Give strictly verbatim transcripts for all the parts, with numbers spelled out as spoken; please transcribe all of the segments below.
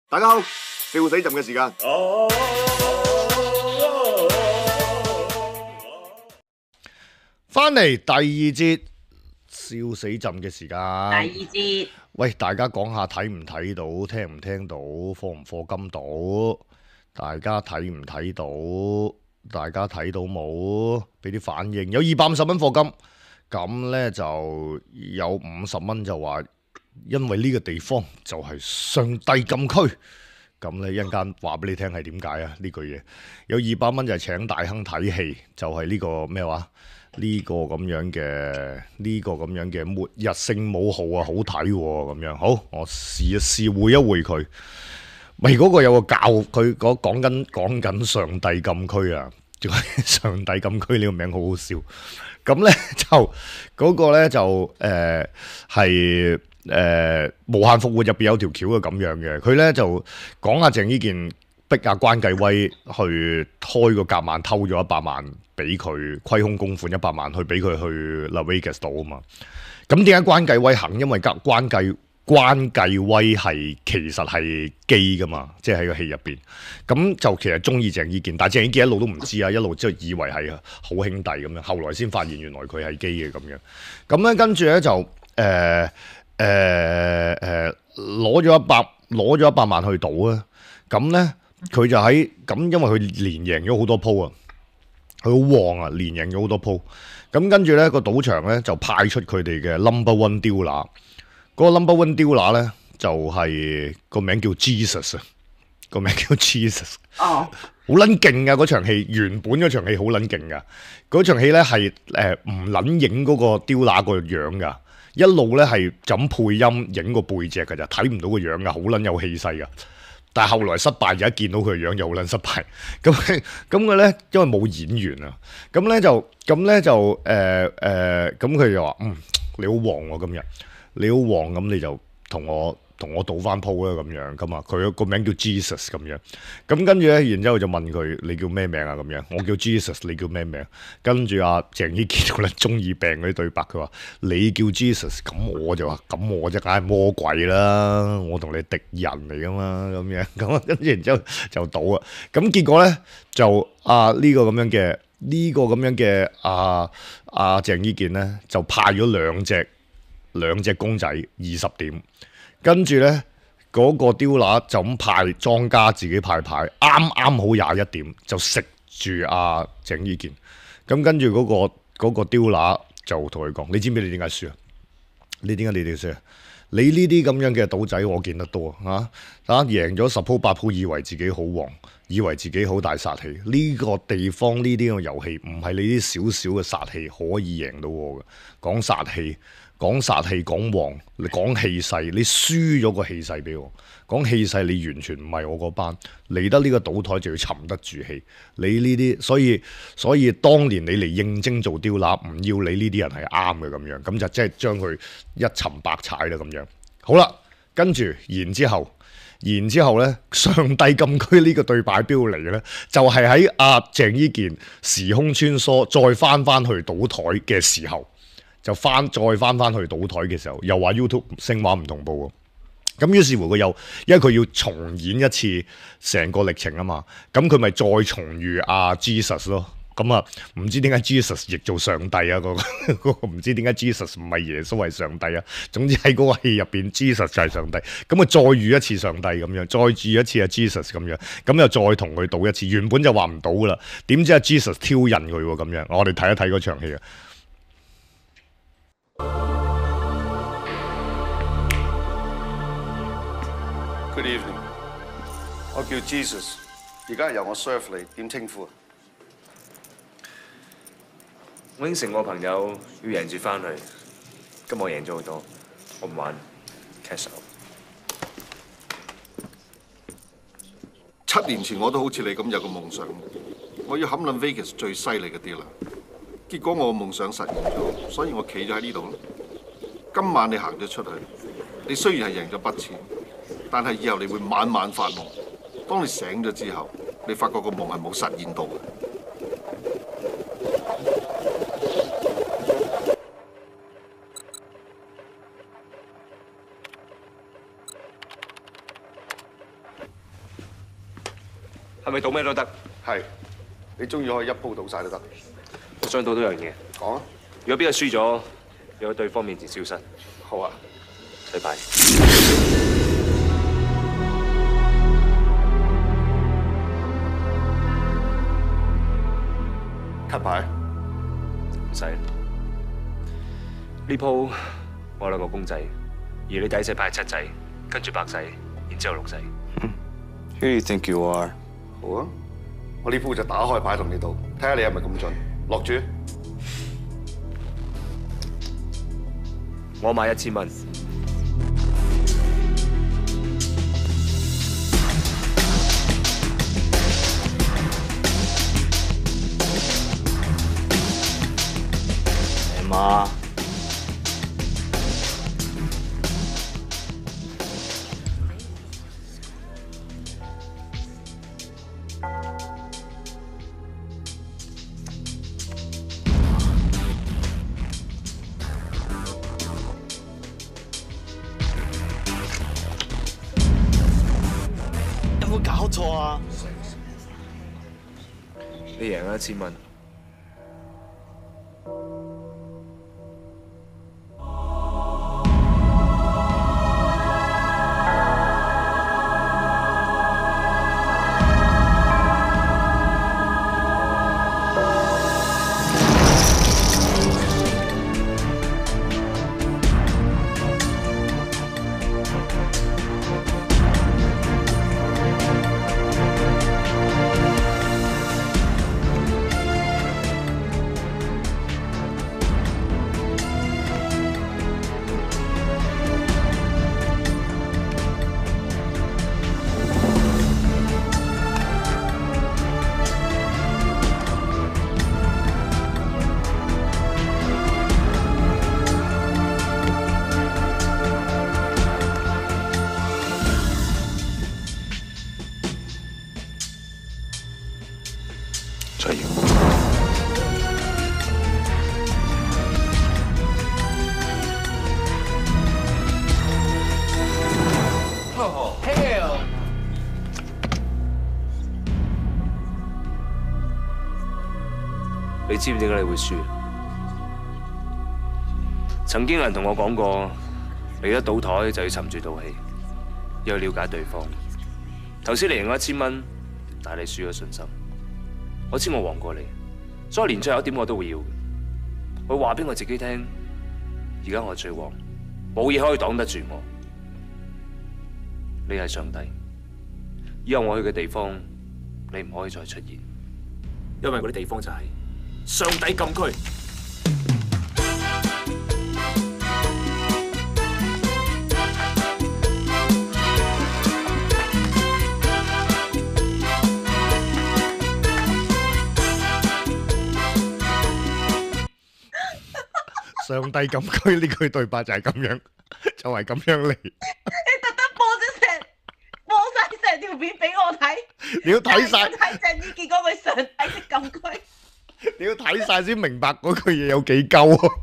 大家好，笑死朕嘅時間。翻嚟第二節笑死朕嘅時間。第二節，喂，大家講下睇唔睇到，聽唔聽到，課唔課金到？大家睇唔睇到？大家睇到冇？俾啲反應。有二百五十蚊課金，咁呢就有五十蚊就話，因為呢個地方就係上帝禁區。咁咧一陣間話俾你聽係點解啊？呢句嘢有二百蚊就係請大亨睇戲，就係、是、呢個咩話？呢、這個咁樣嘅呢、這個咁樣嘅末日聖母號啊，好睇喎咁樣。好，我試一試會一會佢。喂，嗰個有個教佢講講緊講緊上帝禁區啊，仲係上帝禁區呢個名好好笑。咁咧就嗰、那個咧就誒係。誒、呃、無限復活入邊有條橋係咁樣嘅，佢咧就講下鄭伊健逼阿關繼威去開個夾萬偷咗一百萬俾佢，虧空公款一百萬去俾佢去 Las Vegas 島啊嘛。咁點解關繼威肯？因為關關繼關繼威係其實係基噶嘛，即係喺個戲入邊。咁就其實中意鄭伊健，但係鄭伊健一路都唔知啊，一路即係以為係好兄弟咁樣，後來先發現原來佢係基嘅咁樣。咁咧跟住咧就誒。呃誒誒攞咗一百攞咗一百萬去賭啊！咁咧佢就喺咁，因為佢連贏咗好多鋪啊，佢好旺啊，連贏咗好多鋪。咁跟住咧個賭場咧就派出佢哋嘅 number one dealer，嗰個 number one dealer 咧就係、是、個名叫 Jesus 啊，個名叫 Jesus。哦，好撚勁啊！嗰場戲原本嗰場戲好撚勁噶，嗰場戲咧係誒唔撚影嗰個 dealer 個樣噶。一路咧係就咁配音影個背脊㗎咋，睇唔到個樣㗎，好撚有氣勢㗎。但係後來失敗，而家見到佢個樣又好撚失敗。咁咁佢咧因為冇演員啊，咁咧就咁咧就誒誒，咁、呃、佢、呃、就話嗯你好旺喎、啊、今日，你好旺，咁你就同我同我賭翻鋪啦咁樣咁啊。佢個名叫 Jesus 咁樣。咁跟住咧，然之後就問佢你叫咩名啊咁樣？我叫 Jesus， 你叫咩名？跟住阿鄭伊健咧中二病嗰啲對白，佢話你叫 Jesus， 咁我就話咁我就梗係魔鬼啦，我同你敵人嚟噶嘛咁樣。咁跟住然之後就賭啊。咁結果咧就啊呢、這個咁樣嘅呢、這個咁樣嘅啊啊鄭伊健咧就派咗兩隻兩隻公仔二十點，跟住咧。嗰個丟拿就咁派莊家自己派牌，啱啱好廿一點就食住阿鄭伊健。咁跟住嗰個嗰個丟拿就同佢講：你知唔知你點解輸啊？你點解你哋輸啊？你呢啲咁樣嘅賭仔我見得多啊！啊贏咗十鋪八鋪，以為自己好旺，以為自己好大殺氣。呢個地方呢啲咁嘅遊戲唔係你啲少少嘅殺氣可以贏到我嘅。講殺氣。講殺氣，講旺，你講氣勢，你輸咗個氣勢俾我。講氣勢，你完全唔係我嗰班。嚟得呢個賭台就要沉得住氣。你呢啲，所以所以當年你嚟應徵做刁乸，唔要你呢啲人係啱嘅咁樣，咁就即係將佢一沉百踩啦咁樣。好啦，跟住然之後，然之後咧，上帝禁區呢個對白標嚟嘅咧，就係喺阿鄭伊健時空穿梭，再翻翻去賭台嘅時候。就翻再翻翻去賭台嘅時候，又話 YouTube 聲畫唔同步喎。咁於是乎佢又，因為佢要重演一次成個歷程啊嘛。咁佢咪再重遇阿 Jesus 咯。咁啊，唔知點解 Jesus 譯做上帝啊？嗰、嗰個唔知點解 Jesus 唔係耶穌係上帝啊？總之喺嗰個戲入邊 Jesus 就係上帝。咁啊，再遇一次上帝咁樣，再遇一次阿 Jesus 咁樣，咁又再同佢賭一次。原本就話唔賭噶啦，點知阿 Jesus 挑釁佢喎咁樣。我哋睇一睇嗰場戲啊！Good evening， 我叫 Jesus， 而家係由我 serve 你，點稱呼啊？我應承我朋友要贏住翻去，今日我贏咗好多，我唔玩 cash out。七年前我都好似你咁有個夢想，我要冚撚 Vegas 最犀利嘅啲啦。結果我個夢想實現咗，所以我企咗喺呢度咯。今晚你行咗出去，你雖然係贏咗筆錢。但係以後你會晚晚發夢，當你醒咗之後，你發覺個夢係冇實現到嘅。係咪賭咩都得？係，你中意可以一鋪賭晒都得。我想賭多樣嘢。講啊！如果邊個輸咗，要喺對方面前消失。好啊。洗牌。cut 牌。唔使。呢鋪我兩個公仔，而你第一隻牌係七仔，跟住白仔，然之後六仔。Who do you think you are？ 好啊，我呢鋪就打開牌同你賭，睇下你係咪咁盡。落注。我買一千蚊。係嘛？有冇搞錯啊？你贏咗一千蚊。再要。Oh, hell! 你知唔知點解你會輸？曾經有人同我講過，嚟得賭台就要沉住賭氣，要去了解對方。頭先你贏咗一千蚊，但係你輸咗信心。我知我黃過你，所以連最後一點我都會要。我話俾我自己聽，而家我最黃，冇嘢可以擋得住我。你係上帝，以後我去嘅地方，你唔可以再出現，因為嗰啲地方就係上帝禁區。上帝禁區呢句對白就係咁樣，就係咁樣嚟。你特登播咗成播晒成條片俾我睇，你要睇晒，睇鄭伊健嗰句上帝的禁區，你要睇晒先明白嗰句嘢有幾鳩啊！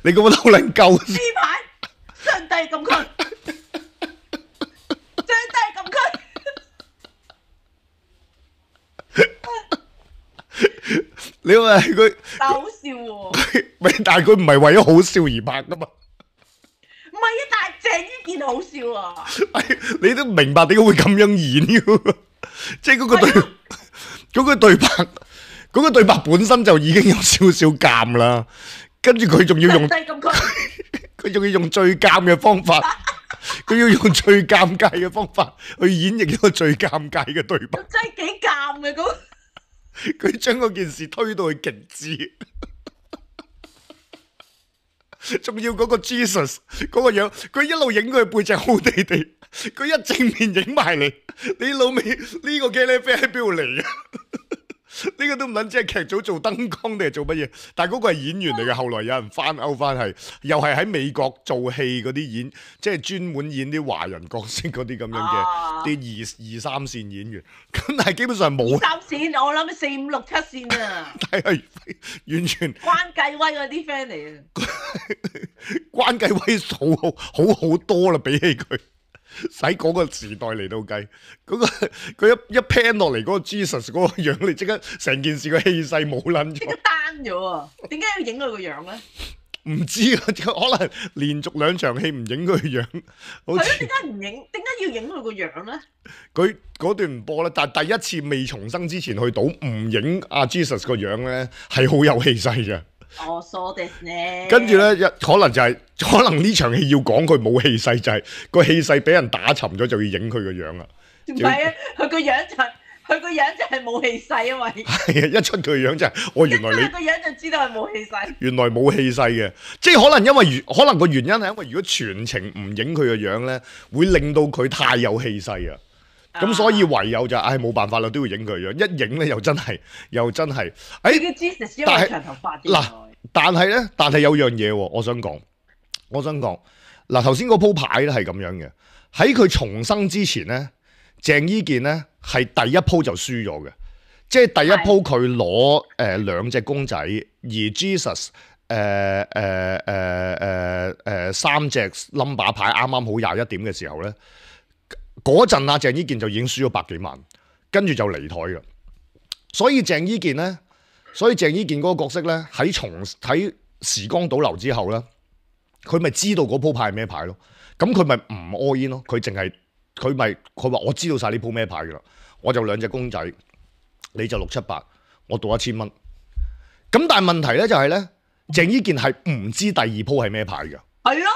你咁樣好撚鳩呢排上帝禁區，上帝禁區。你話佢但好笑喎，咪但係佢唔係為咗好笑而拍噶嘛？唔係啊，但係鄭伊健好笑啊！你都明白點解會咁樣演嘅？即係嗰個對嗰個對白，嗰個對白本身就已經有少少尷啦，跟住佢仲要用，上帝禁區，佢仲要用最尷嘅方法，佢要用最尷尬嘅方法去演繹一個最尷尬嘅對白。真係幾尷嘅嗰。佢將嗰件事推到去極致，仲要嗰個 Jesus 嗰個樣，佢一路影佢背脊好地地，佢一正面影埋嚟，你老味呢個茄喱啡喺邊度嚟啊？呢個都唔撚知係劇組做燈光定係做乜嘢，但係嗰個係演員嚟嘅。後來有人翻勾翻係，又係喺美國做戲嗰啲演，即係專門演啲華人角色嗰啲咁樣嘅啲二二三線演員。咁但係基本上冇三線，我諗四五六七線啊！但係完全關繼威嗰啲 friend 嚟啊！關繼威好好好好多啦，比起佢喺嗰個時代嚟到計，嗰、個佢一一 pan 落嚟嗰個 Jesus 嗰個樣，你即刻成件事個氣勢冇撚咗即刻。單咗啊！點解要影佢個樣咧？唔知啊，可能連續兩場戲唔影佢個樣，好係咯，似點解唔影？點解要影佢個樣咧？佢嗰段唔播啦。但係第一次未重生之前去賭唔影阿 Jesus 個樣咧，係好有氣勢嘅。哦，so this 呢？跟住咧，一可能就係、可能呢場戲要講佢冇氣勢，就係、個氣勢俾人打沉咗，就要影佢個樣啦。唔係啊，佢個樣就係佢個樣就係冇氣勢，因為係啊，一出佢個樣就係、我原來你一出佢個樣就知道係冇氣勢。原來冇氣勢嘅，即係可能因為原可能個原因係因為如果全程唔影佢個樣咧，會令到佢太有氣勢啊。咁所以唯有就唉冇辦法啦，都要影佢個樣。一影咧又真係又真係，誒、佢叫 Jesus 因但係為長頭髮啫。嗱但係咧，但係有樣嘢喎，我想講，我想講嗱，頭先嗰鋪牌咧係咁樣嘅，喺佢重生之前咧，鄭伊健咧係第一鋪就輸咗嘅，即係第一鋪佢攞誒兩隻公仔，而 Jesus 誒誒誒誒誒三隻 number 牌啱啱好廿一點嘅時候咧，嗰陣啊鄭伊健就已經輸咗百幾萬，跟住就離台嘅，所以鄭伊健咧。所以鄭伊健嗰個角色咧，喺重喺時光倒流之後咧，佢咪知道嗰鋪牌係咩牌咯？咁佢咪唔 all in 咯？佢淨係佢咪佢話我知道晒呢鋪咩牌噶啦，我就兩隻公仔，你就六七八，我賭一千蚊。咁但係問題咧就係咧，鄭伊健係唔知第二鋪係咩牌嘅。係咯。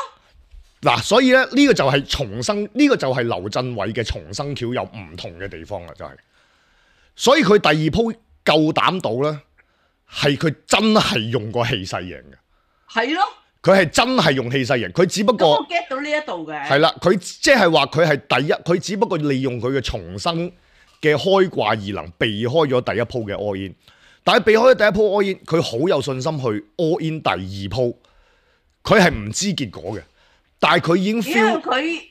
嗱，所以咧呢、呢個就係重生，呢、呢個就係劉鎮偉嘅重生橋有唔同嘅地方啦，就係、係。所以佢第二鋪夠膽賭咧。係佢真係用個氣勢贏嘅，係咯，佢係真係用氣勢贏，佢只不過我 get 到呢一度嘅，係啦，佢即係話佢係第一，佢只不過利用佢嘅重生嘅開掛異能避開咗第一鋪嘅 all in，但係避開咗第一鋪 all in，佢好有信心去 all in 第二鋪，佢係唔知結果嘅，但係佢已經 feel 因為佢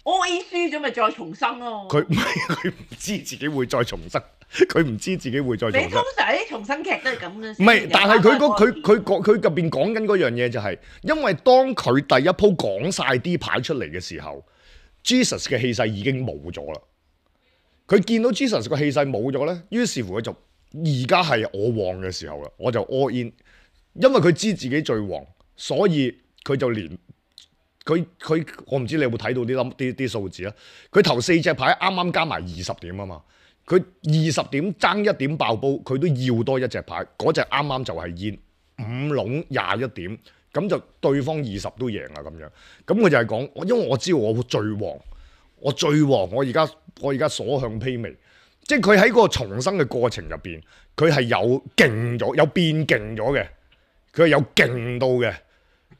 all in 輸咗咪再重生咯，佢唔係佢唔知自己會再重生。佢唔知自己會再重生。你通常啲重生劇都係咁嘅。唔係，但係佢嗰佢佢講佢入邊講緊嗰樣嘢就係、是，因為當佢第一鋪講晒啲牌出嚟嘅時候 ，Jesus 嘅氣勢已經冇咗啦。佢見到 Jesus 個氣勢冇咗咧，於是乎佢就而家係我旺嘅時候啦，我就 all in，因為佢知自己最旺，所以佢就連佢佢我唔知你有冇睇到啲諗啲啲數字啊？佢頭四隻牌啱啱加埋二十點啊嘛。佢二十點爭一點爆煲，佢都要多一隻牌，嗰隻啱啱就係煙五籠廿一點，咁就對方二十都贏啦咁樣。咁佢就係講，因為我知道我最旺，我最旺，我而家我而家所向披靡，即係佢喺嗰個重生嘅過程入邊，佢係有勁咗，有變勁咗嘅，佢係有勁到嘅，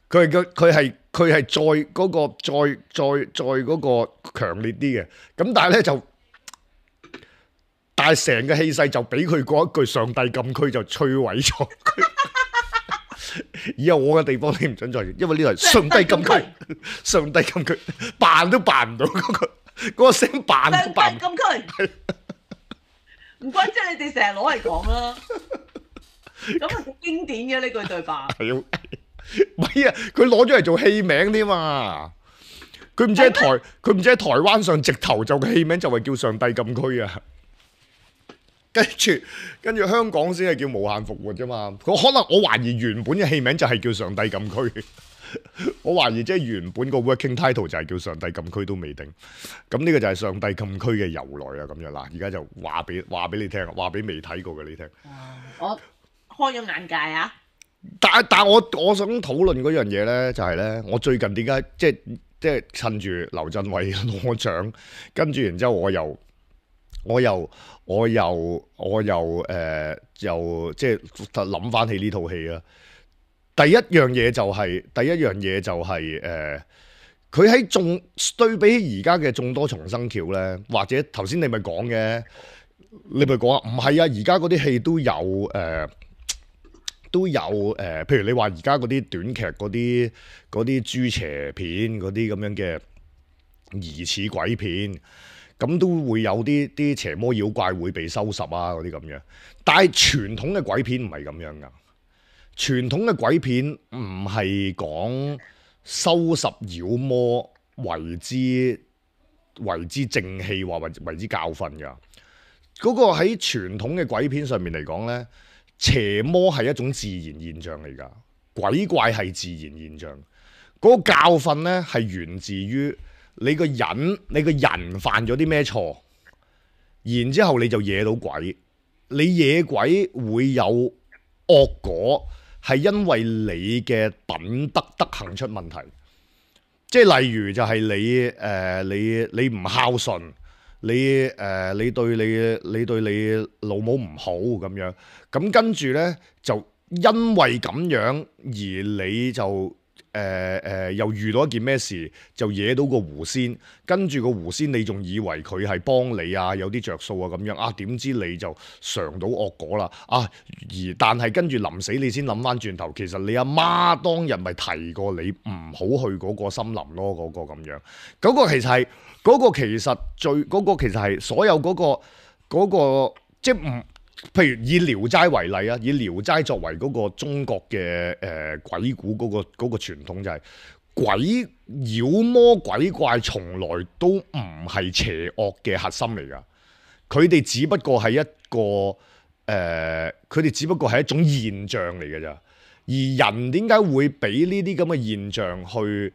佢係佢係佢係再嗰個再再再嗰個強烈啲嘅，咁但係咧就。但係成個氣勢就俾佢嗰一句上帝禁區就摧毀咗。以後我嘅地方你唔准再，因為呢度係上帝禁區，上帝禁區扮都扮唔到嗰個嗰個聲，扮都扮唔到。上帝禁區，唔怪之你哋成日攞嚟講啦。咁啊，經典嘅呢句對白。係啊，唔係啊，佢攞咗嚟做戲名添嘛。佢唔知喺台，佢唔知喺台灣上直頭就個戲名就係叫上帝禁區啊。跟住，跟住香港先係叫無限復活啫嘛。佢可能我懷疑原本嘅戲名就係叫上帝禁區。我懷疑即係原本個 working title 就係叫上帝禁區都未定。咁呢個就係上帝禁區嘅由來啊。咁樣嗱，而家就話俾話俾你聽，話俾未睇過嘅你聽。我開咗眼界啊！但係但係我我想討論嗰樣嘢咧，就係咧，我最近點解即係即係趁住劉鎮偉攞獎，跟住然之後我又。我又我又我又誒、呃、又即係諗翻起呢套戲啊！第一樣嘢就係、是、第一樣嘢就係、是、誒，佢、呃、喺眾對比起而家嘅眾多重生橋咧，或者頭先你咪講嘅，你咪講啊，唔係啊！而家嗰啲戲都有誒、呃、都有誒、呃，譬如你話而家嗰啲短劇嗰啲嗰啲豬邪片嗰啲咁樣嘅疑似鬼片。咁都會有啲啲邪魔妖怪會被收拾啊嗰啲咁樣，但係傳統嘅鬼片唔係咁樣噶。傳統嘅鬼片唔係講收拾妖魔為之為之正氣，或為為之教訓㗎。嗰、個喺傳統嘅鬼片上面嚟講呢，邪魔係一種自然現象嚟㗎，鬼怪係自然現象。嗰、個教訓呢係源自於你個人，你個人犯咗啲咩錯，然之後你就惹到鬼。你惹鬼會有惡果，係因為你嘅品德德行出問題。即係例如就係你誒、呃、你你唔孝順，你誒、呃、你對你你對你老母唔好咁樣，咁跟住呢，就因為咁樣而你就誒誒、呃呃、又遇到一件咩事，就惹到個狐仙，跟住個狐仙你仲以為佢係幫你啊，有啲着數啊咁樣啊，點知你就嘗到惡果啦啊！而但係跟住臨死你先諗翻轉頭，其實你阿媽當日咪提過你唔好去嗰個森林咯，嗰、嗰個咁樣，嗰、嗰個其實係嗰、嗰個其實最嗰、嗰個其實係所有嗰、嗰個嗰、嗰個即係唔。譬如以《聊齋》為例啊，以《聊齋》作為嗰個中國嘅誒、呃、鬼故嗰、嗰個嗰、嗰個傳統就係、是、鬼妖魔鬼怪從來都唔係邪惡嘅核心嚟㗎，佢哋只不過係一個誒，佢、呃、哋只不過係一種現象嚟㗎咋。而人點解會俾呢啲咁嘅現象去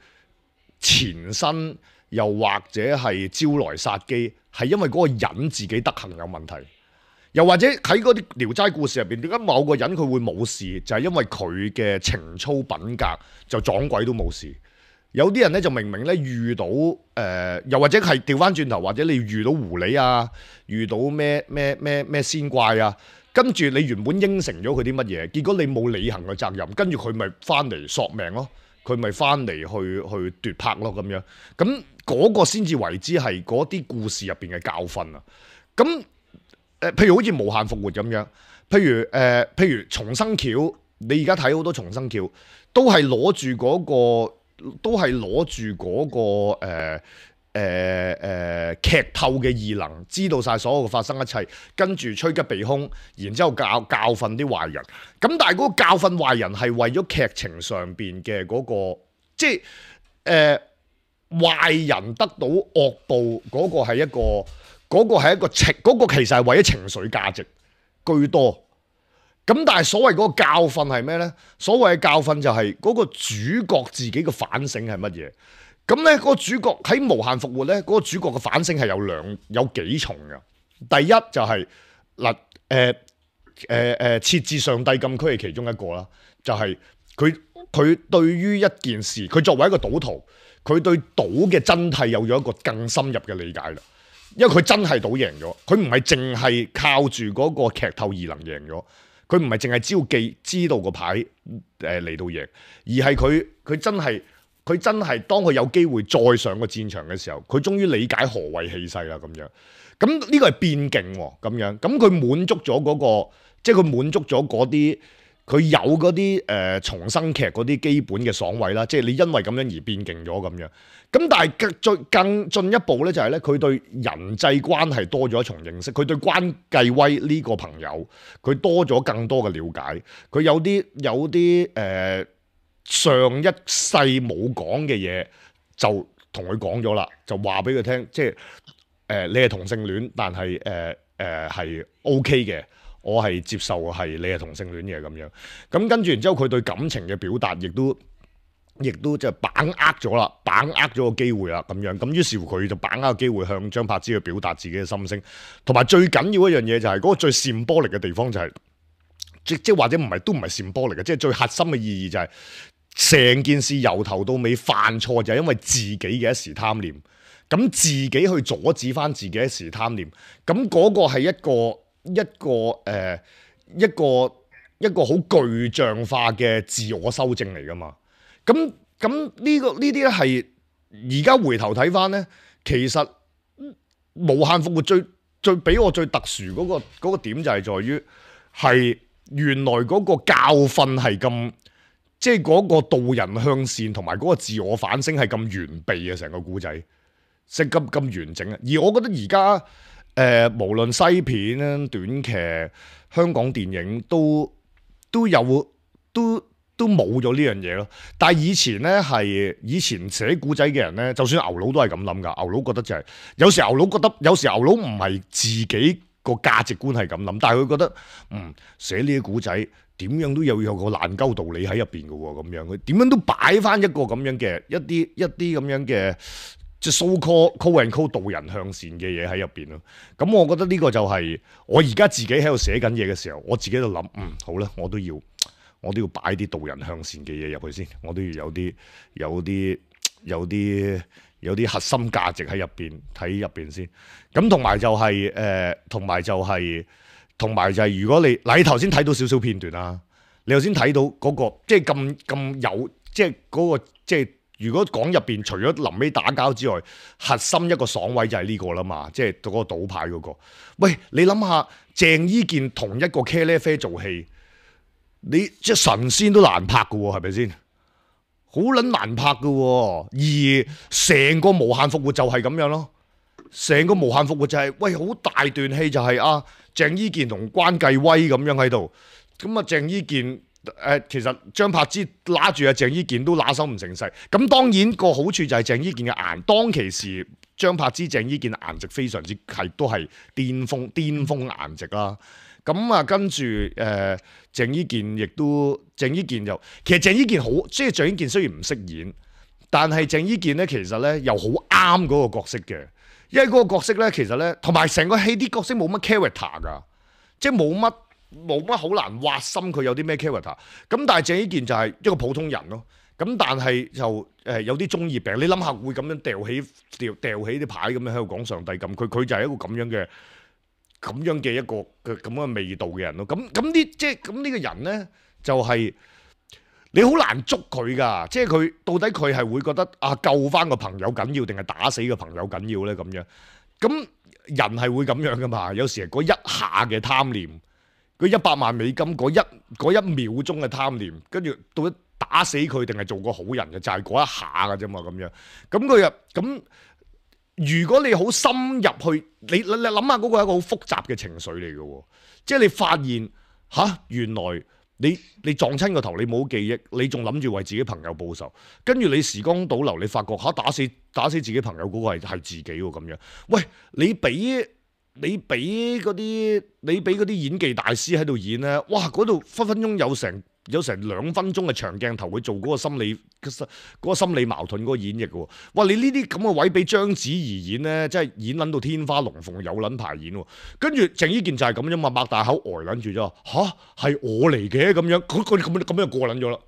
纏身，又或者係招來殺機，係因為嗰個人自己德行有問題。又或者喺嗰啲聊齋故事入邊，點解某個人佢會冇事？就係、是、因為佢嘅情操品格就撞鬼都冇事。有啲人咧就明明咧遇到誒、呃，又或者係調翻轉頭，或者你遇到狐狸啊，遇到咩咩咩咩仙怪啊，跟住你原本應承咗佢啲乜嘢，結果你冇履行嘅責任，跟住佢咪翻嚟索命咯，佢咪翻嚟去去奪魄咯咁樣。咁嗰個先至為之係嗰啲故事入邊嘅教訓啊。咁誒，譬如好似無限復活咁樣，譬如誒、呃，譬如重生橋，你而家睇好多重生橋，都係攞住嗰個，都係攞住嗰個誒誒誒劇透嘅異能，知道晒所有嘅發生一切，跟住趨吉避凶，然之後教教訓啲壞人。咁但係嗰個教訓壞人係為咗劇情上邊嘅嗰個，即係誒壞人得到惡報嗰個係一個。嗰個係一個情，嗰、嗰個其實係為咗情緒價值居多。咁但係所謂嗰個教訓係咩呢？所謂嘅教訓就係嗰個主角自己嘅反省係乜嘢？咁呢嗰個主角喺無限復活呢，嗰、嗰個主角嘅反省係有兩有幾重嘅。第一就係嗱誒誒誒設置上帝禁區係其中一個啦，就係佢佢對於一件事，佢作為一個賭徒，佢對賭嘅真諦有咗一個更深入嘅理解啦。因為佢真係賭贏咗，佢唔係淨係靠住嗰個劇透異能贏咗，佢唔係淨係招記知道個牌誒嚟到贏，而係佢佢真係佢真係當佢有機會再上個戰場嘅時候，佢終於理解何謂氣勢啦咁樣。咁呢個係變勁喎咁樣，咁佢滿足咗嗰個，即係佢滿足咗嗰啲。佢有嗰啲誒重生劇嗰啲基本嘅爽位啦，即係你因為咁樣而變勁咗咁樣。咁但係再更進一步咧，就係咧佢對人際關係多咗一重認識，佢對關繼威呢個朋友佢多咗更多嘅了解。佢有啲有啲誒、呃、上一世冇講嘅嘢，就同佢講咗啦，就話俾佢聽，即係誒、呃、你係同性戀，但係誒誒係 O K 嘅。我係接受係你係同性戀嘅咁樣，咁跟住然之後佢對感情嘅表達亦都亦都即係把握咗啦，把握咗個機會啦咁樣，咁於是乎佢就把握個機會向張柏芝去表達自己嘅心聲，同埋最緊要一樣嘢就係嗰個最閃波力嘅地方就係、是、即即或者唔係都唔係閃波力嘅，即係最核心嘅意義就係、是、成件事由頭到尾犯錯就係因為自己嘅一時貪念，咁自己去阻止翻自己一時貪念，咁嗰個係一個。一個誒、呃、一個一個好具象化嘅自我修正嚟㗎嘛，咁咁呢個呢啲咧係而家回頭睇返咧，其實無限復活最最俾我最特殊嗰、嗰個嗰、嗰個點就係在於係原來嗰個教訓係咁，即係嗰個導人向善同埋嗰個自我反省係咁完備嘅成個故仔，即係咁咁完整啊！而我覺得而家。誒、呃，無論西片咧、短劇、香港電影都都有都都冇咗呢樣嘢咯。但係以前咧係以前寫古仔嘅人咧，就算牛佬都係咁諗㗎。牛佬覺得就係、是、有時牛佬覺得有時牛佬唔係自己個價值觀係咁諗，但係佢覺得嗯寫呢啲古仔點樣都有有個爛鳩道理喺入邊嘅喎，咁樣佢點樣都擺翻一個咁樣嘅一啲一啲咁樣嘅即係 so call call and call 導人向善嘅嘢喺入邊咯。咁我覺得呢個就係我而家自己喺度寫緊嘢嘅時候，我自己喺度諗嗯好啦，我都要。我都要擺啲導人向善嘅嘢入去先，我都要有啲有啲有啲有啲核心價值喺入邊睇入邊先。咁同埋就係、是、誒，同、呃、埋就係、是，同埋就係、是、如果你嗱，你頭先睇到少少片段啦，你頭先睇到嗰、那個即係咁咁有，即係嗰、那個即係如果講入邊除咗臨尾打交之外，核心一個爽位就係呢個啦嘛，即係嗰個賭牌嗰、那個。喂，你諗下鄭伊健同一個茄喱啡做戲。你即係神仙都難拍嘅喎，係咪先？好撚難拍嘅喎，而成個無限復活就係咁樣咯。成個無限復活就係、是、喂，好大段戲就係、是、啊，鄭伊健同關繼威咁樣喺度。咁啊，鄭伊健誒、呃，其實張柏芝揦住阿鄭伊健都揦手唔成勢。咁當然個好處就係鄭伊健嘅顏，當其時張柏芝鄭伊健顏值非常之係都係巔峰巔峰顏值啦。咁啊，跟住誒、呃、鄭伊健亦都鄭伊健就其實鄭伊健好，即係鄭伊健雖然唔識演，但係鄭伊健咧其實咧又好啱嗰個角色嘅，因為嗰個角色咧其實咧同埋成個戲啲角色冇乜 character 㗎，即係冇乜冇乜好難挖心佢有啲咩 character。咁但係鄭伊健就係一個普通人咯。咁但係就誒、呃、有啲中二病，你諗下會咁樣掉起掉掉起啲牌咁樣喺度講上帝咁，佢佢就係一個咁樣嘅。咁樣嘅一個嘅咁嘅味道嘅人咯，咁咁啲即係咁呢個人咧，就係、是、你好難捉佢噶，即係佢到底佢係會覺得啊救翻個朋友緊要定係打死個朋友緊要咧咁樣？咁人係會咁樣噶嘛？有時係嗰一下嘅貪念，嗰一百萬美金嗰一嗰一秒鐘嘅貪念，跟住到底打死佢定係做個好人嘅，就係、是、嗰一下㗎啫嘛咁樣。咁佢又咁。如果你好深入去，你你你諗下嗰個係一個好複雜嘅情緒嚟嘅喎，即係你發現吓原來你你撞親個頭，你冇記憶，你仲諗住為自己朋友報仇，跟住你時光倒流，你發覺吓打死打死自己朋友嗰個係係自己喎咁樣。喂，你俾你俾嗰啲你俾嗰啲演技大師喺度演咧，哇！嗰度分分鐘有成。有成兩分鐘嘅長鏡頭去做嗰個心理嗰、嗰個心理矛盾嗰個演繹喎，哇！你呢啲咁嘅位俾章子怡演咧，真係演撚到天花龍鳳，有撚排演喎。跟住鄭伊健就係咁啫嘛，擘大口呆撚住咗，吓？係我嚟嘅咁樣，佢佢咁樣咁樣過撚咗啦。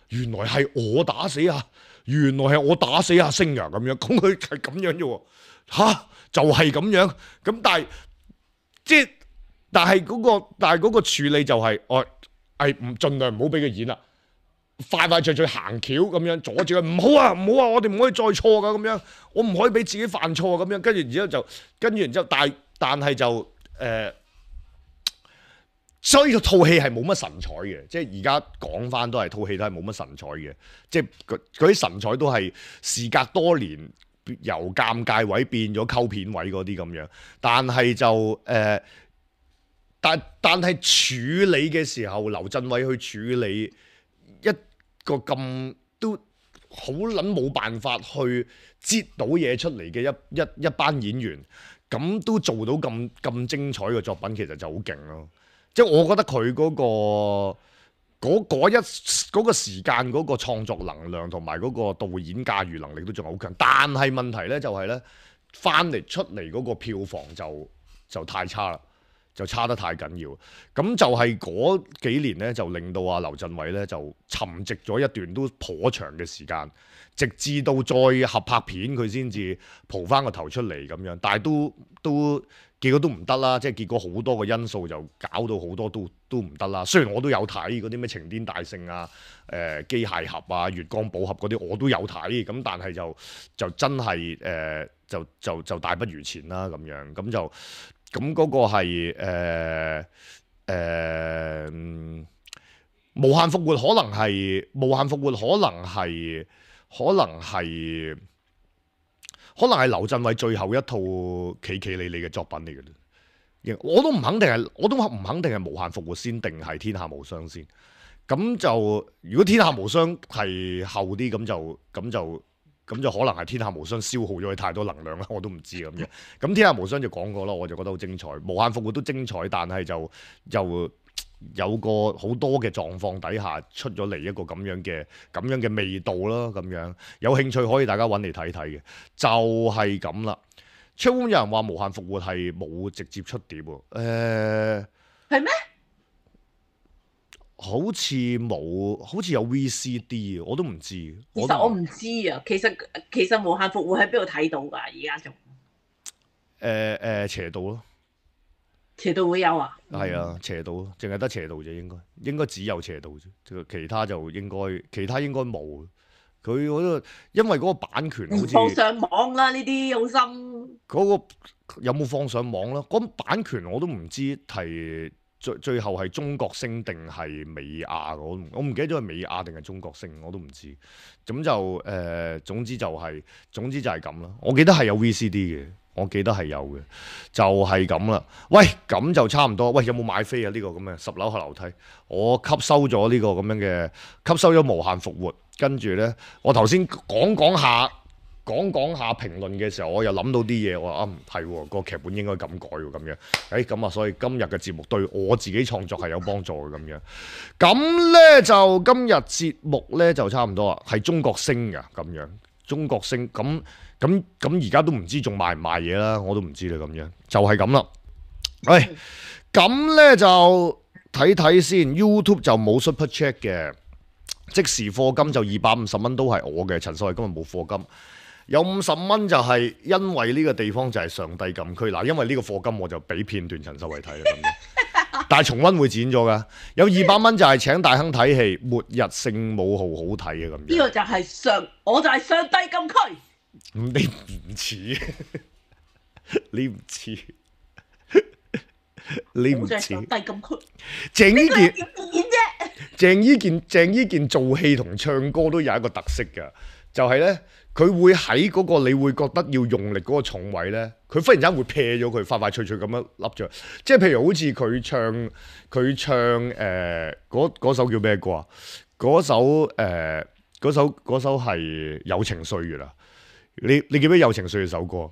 原來係我打死啊！原來係我打死阿星啊咁樣，咁佢係咁樣啫喎，嚇就係、是、咁樣。咁但係即係但係嗰、嗰個但係嗰個處理就係、是、我。係唔盡量唔好俾佢演啦，快快脆脆行橋咁樣阻住佢，唔好啊唔好啊，我哋唔可以再錯噶咁樣，我唔可以俾自己犯錯咁樣，跟住然之後就跟住然之後，但係但係就誒、呃，所以套戲係冇乜神采嘅，即係而家講翻都係套戲都係冇乜神采嘅，即係嗰啲神采都係時隔多年由尷尬位變咗溝片位嗰啲咁樣，但係就誒。呃但但係處理嘅時候，劉鎮偉去處理一個咁都好撚冇辦法去擠到嘢出嚟嘅一一一班演員，咁都做到咁咁精彩嘅作品，其實就好勁咯。即係我覺得佢嗰個嗰嗰一嗰個時間嗰個創作能量同埋嗰個導演駕馭能力都仲好強，但係問題咧就係咧翻嚟出嚟嗰個票房就就太差啦。就差得太緊要，咁就係嗰幾年咧，就令到阿劉鎮偉咧就沉寂咗一段都頗長嘅時間，直至到再合拍片佢先至蒲翻個頭出嚟咁樣，但係都都結果都唔得啦，即係結果好多個因素就搞到好多都都唔得啦。雖然我都有睇嗰啲咩情癲大聖啊、誒、呃、機械俠啊、月光寶盒嗰啲我都有睇，咁但係就就真係誒、呃、就就就大不如前啦咁樣，咁就。咁嗰個係誒誒無限復活，可能係無限復活，可能係可能係可能係劉鎮偉最後一套企企理理嘅作品嚟嘅咧。我都唔肯定係，我都唔肯定係無限復活先定係天下無雙先。咁就如果天下無雙係後啲，咁就咁就咁就可能係天下無雙消耗咗佢太多能量啦，我都唔知咁樣。咁天下無雙就講過啦，我就覺得好精彩，無限復活都精彩，但係就就有個好多嘅狀況底下出咗嚟一個咁樣嘅咁樣嘅味道啦，咁樣有興趣可以大家揾嚟睇睇嘅，就係咁啦。出有人話無限復活係冇直接出碟喎，誒係咩？好似冇，好似有 V C D 我都唔知。都其實我唔知啊。其實其實無限復活喺邊度睇到㗎？而家仲誒誒斜道咯，斜道會有啊？係啊，斜道咯，淨係得斜道啫，應該應該只有斜道啫，其他就應該其他應該冇。佢嗰個因為嗰個版權好似放上網啦，呢啲好深。嗰個有冇放上網啦？嗰、版權我都唔知係最最後係中國星定係美亞，我唔我唔記得咗係美亞定係中國星，我都唔知。咁就誒、呃，總之就係、總之就係咁啦。我記得係有 V C D 嘅，我記得係有嘅，就係咁啦。喂，咁就差唔多。喂，有冇買飛啊？呢、呢個咁嘅十樓下樓梯，我吸收咗呢個咁樣嘅，吸收咗無限復活。跟住呢，我頭先講講下講講下評論嘅時候，我又諗到啲嘢，我話啊唔係喎，個劇本應該咁改喎，咁樣。誒咁啊，所以今日嘅節目對我自己創作係有幫助嘅咁樣。咁呢，就今日節目呢，就差唔多啦，係中國星㗎咁樣，中國星咁咁咁而家都唔知仲賣唔賣嘢啦，我都唔知啦咁樣，就係咁啦。喂，咁呢，就睇睇先 ，YouTube 就冇 Super Chat 嘅。即時課金就二百五十蚊都係我嘅，陳秀慧今日冇課金，有五十蚊就係因為呢個地方就係上帝禁區嗱，因為呢個課金我就俾片段陳秀慧睇啦咁樣，但係重溫會剪咗噶，有二百蚊就係請大亨睇戲《末日聖母號》好睇嘅咁樣，呢個就係上，我就係上帝禁區。你唔似，你唔似，你唔似上帝禁區。鄭伊健。點演啫？鄭伊健鄭伊健做戲同唱歌都有一個特色㗎，就係呢，佢會喺嗰個你會覺得要用力嗰個重位呢，佢忽然間會撇咗佢，快快脆脆咁樣笠咗。即係譬如好似佢唱佢唱誒嗰首叫咩歌啊？嗰首誒嗰首嗰首係《友情歲月》啊！你你記唔記得《友情歲月》首歌？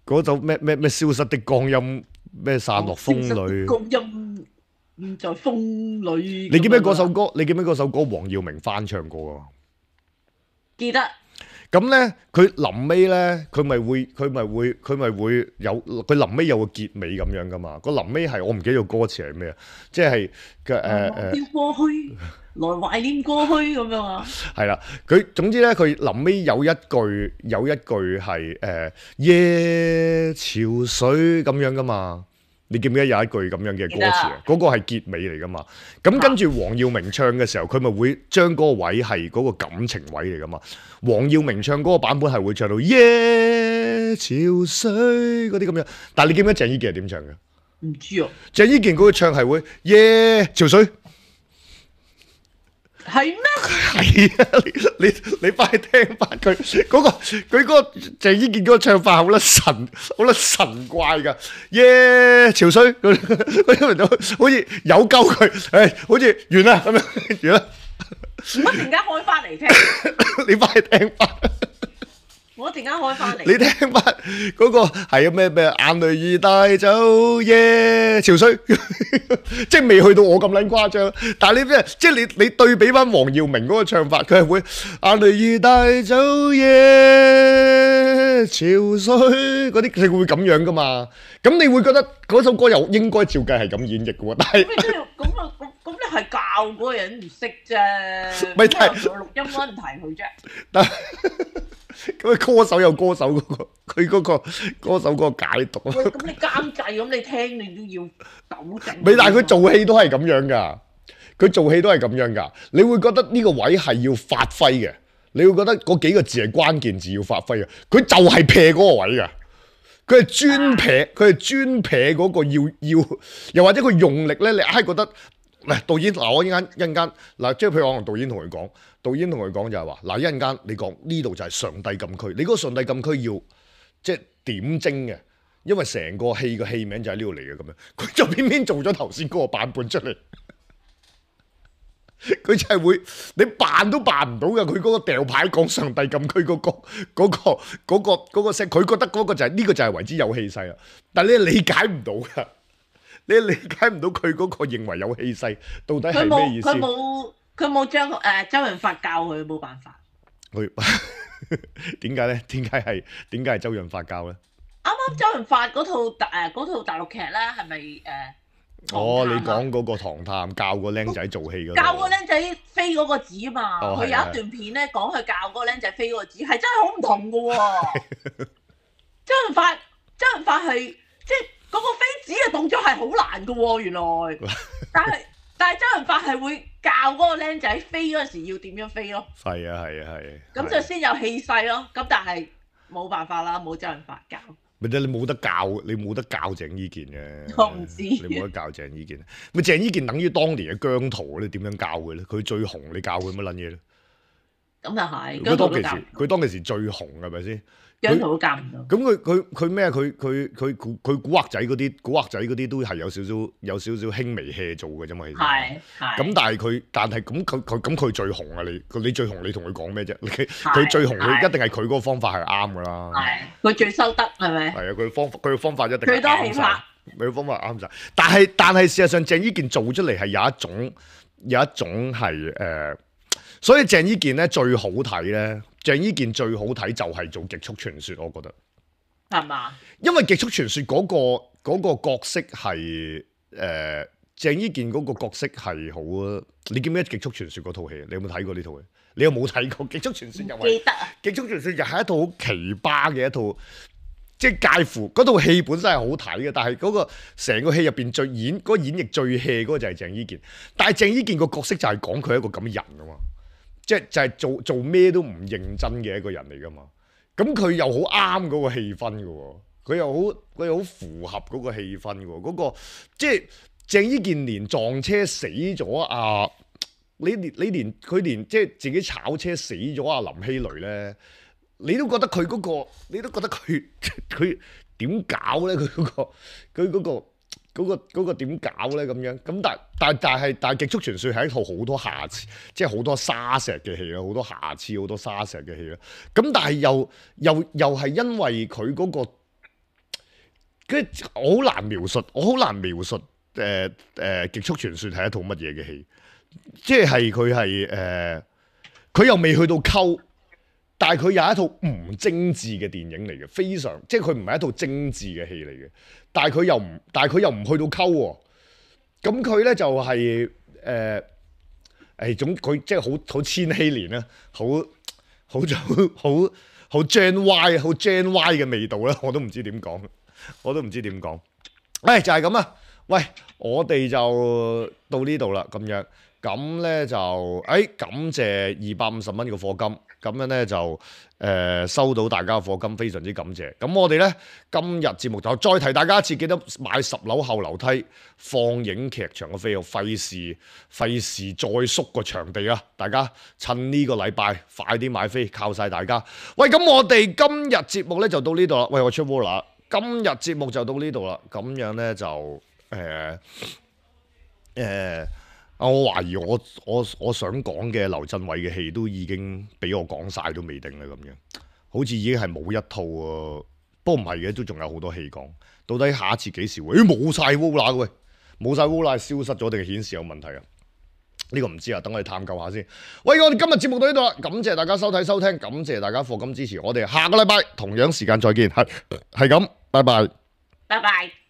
嗰首咩咩咩消失的光陰咩散落風裏？光陰在風裏。你記唔記得嗰首歌？你記唔記得嗰首歌黃耀明翻唱過啊？記得。咁咧，佢臨尾咧，佢咪會，佢咪會，佢咪會有，佢臨尾有個結尾咁樣噶嘛？個臨尾係我唔記得個歌詞係咩啊？即係嘅誒誒。要過去，來懷念過去咁樣啊。係啦，佢總之咧，佢臨尾有一句，有一句係誒夜潮水咁樣噶嘛？你記唔記得有一句咁樣嘅歌詞啊？嗰個係結尾嚟噶嘛？咁跟住黃耀明唱嘅時候，佢咪會將嗰個位係嗰個感情位嚟噶嘛？黃耀明唱嗰個版本係會唱到夜潮水嗰啲咁樣，但係你記唔記得鄭伊健係點唱嘅？唔知啊。鄭伊健嗰個唱係會夜潮水。係咩？係啊！你你你快聽翻佢嗰個佢嗰個鄭伊健嗰個唱法好甩神好甩神怪㗎，耶潮水佢好似有鳩佢，誒好似完啦咁樣完啦。我陣間開翻嚟聽。你快聽翻。我陣間開翻嚟。你聽翻嗰個係啊咩咩眼淚已帶走耶潮水，即係未去到我咁撚誇張，但係你咩即係你你對比翻黃耀明嗰個唱法，佢係會眼淚已帶走耶潮水嗰啲，佢會咁樣噶嘛？咁你會覺得嗰首歌又應該照計係咁演繹嘅喎，但係咁啊咁咁你係教嗰個人唔識啫，咪但係錄音嗰陣提佢啫。但咁歌手有歌手嗰個，佢嗰個歌手嗰個解讀。喂，咁你監製咁你聽你都要糾正。咪但係佢做戲都係咁樣㗎，佢做戲都係咁樣㗎。你會覺得呢個位係要發揮嘅，你會覺得嗰幾個字係關鍵字要發揮嘅。佢就係撇嗰個位㗎，佢係專撇，佢係專撇嗰個要要，又或者佢用力咧，你硬係覺得。嗱，導演嗱，我一陣間一陣間嗱，即係譬如我同導演同佢講，導演同佢講就係話嗱，一陣間你講呢度就係上帝禁區，你嗰個上帝禁區要即係點睛嘅，因為成個戲嘅戲名就喺呢度嚟嘅咁樣，佢就偏偏做咗頭先嗰個版本出嚟，佢就係會你扮都扮唔到嘅。佢嗰個掉牌講上帝禁區嗰個嗰個嗰個嗰個聲，佢覺得嗰個就係呢個就係為之有氣勢啦。但係你理解唔到㗎，你理解唔到佢嗰個認為有氣勢到底係咩意思？佢冇佢冇將誒周潤發教佢，冇辦法。佢點解咧？點解係點解係周潤發教咧？啱啱周潤發嗰套誒嗰套大陸劇咧，係咪誒？哦，你講嗰個唐探教個僆仔做戲嗰教個僆仔飛嗰個紙啊嘛，哦佢有一段片咧講佢教嗰個僆仔飛嗰個紙，係真係好唔同噶喎。周潤發周潤發係即係嗰個飛紙嘅動作係好難噶喎，原來。但係但係周潤發係會教嗰個僆仔飛嗰陣時要點樣飛咯。係啊係啊係。咁就先有氣勢咯。咁但係冇辦法啦，冇周潤發教。咪你冇得教，你冇得教鄭伊健嘅。我唔知。你冇得教鄭伊健。咪鄭伊健等於當年嘅姜濤，你點樣教佢咧？佢最紅，你教佢乜撚嘢咧？咁又係。佢當其時，佢當其時最紅係咪先？姜濤都教唔到。咁佢佢佢咩？佢佢佢佢佢古惑仔嗰啲，古惑仔嗰啲都係有少少有少少輕微 hea 做嘅啫嘛。其實係係。咁但係佢，但係咁佢佢咁佢最紅啊！你你最紅，你同佢講咩啫？佢最紅，佢一定係佢嗰個方法係啱噶啦。係，佢最收得係咪？係啊，佢方佢嘅方法一定係最多氣魄。佢嘅方法啱晒。但係但係事實上，鄭伊健做出嚟係有一種有一種係誒、呃，所以鄭伊健咧最好睇咧。鄭伊健最好睇就係做極速傳說，我覺得係嘛？因為極速傳說嗰、嗰個嗰個角色係誒鄭伊健嗰個角色係好，你記唔記得極速傳說嗰套戲？你有冇睇過呢套戲？你有冇睇過極速傳說？又係記得啊！極速傳說又係一套好奇葩嘅一套，即係介乎嗰套戲本身係好睇嘅，但係嗰個成個戲入邊最演嗰、嗰個演繹最 hea 嗰個就係鄭伊健。但係鄭伊健個角色就係講佢係一個咁嘅人啊嘛。即係就係做做咩都唔認真嘅一個人嚟噶嘛，咁佢又好啱嗰個氣氛嘅喎，佢又好佢又好符合嗰個氣氛嘅喎，嗰、嗰個即係鄭伊健連撞車死咗啊！你連你連佢連即係自己炒車死咗啊林希蕾咧，你都覺得佢嗰、嗰個，你都覺得佢佢點搞咧？佢嗰、嗰個佢嗰、嗰個。嗰、那個嗰、那個點搞咧咁樣咁，但但但係但係極速傳說係一套好多瑕疵，即係好多沙石嘅戲啦，好多瑕疵，好多沙石嘅戲啦。咁但係又又又係因為佢嗰、那個，跟住我好難描述，我好難描述誒誒、呃呃、極速傳說係一套乜嘢嘅戲，即係佢係誒，佢、呃、又未去到溝。但係佢有一套唔精緻嘅電影嚟嘅，非常即係佢唔係一套精緻嘅戲嚟嘅。但係佢又唔，但係佢又唔去到溝喎。咁佢咧就係誒誒總佢即係好好千禧年啦，好好好好 Gen Y 好 Gen Y 嘅味道啦，我都唔知點講，我都唔知點講。誒、哎、就係咁啊！喂，我哋就到呢度啦，咁樣咁咧就誒、哎、感謝二百五十蚊嘅課金。咁樣咧就誒、呃、收到大家嘅課金，非常之感謝。咁我哋咧今日節目就再提大家一次，記得買十樓後樓梯放映劇場嘅飛，費事費事再縮個場地啊！大家趁呢個禮拜快啲買飛，靠晒大家。喂，咁我哋今日節目咧就到呢度啦。喂，我出 w 啦，今日節目就到呢度啦。咁樣咧就誒誒。呃呃我懷疑我我我想講嘅劉鎮偉嘅戲都已經俾我講晒都未定啦，咁樣好似已經係冇一套喎。不過唔係嘅，都仲有好多戲講。到底下一次幾時會？誒冇晒 Wola 嘅喂，冇晒 Wola 消失咗定係顯示有問題啊？呢、呢個唔知啊，等我哋探究下先。喂，我哋今日節目到呢度啦，感謝大家收睇收聽，感謝大家課金支持，我哋下個禮拜同樣時間再見，係係咁，拜拜，拜拜。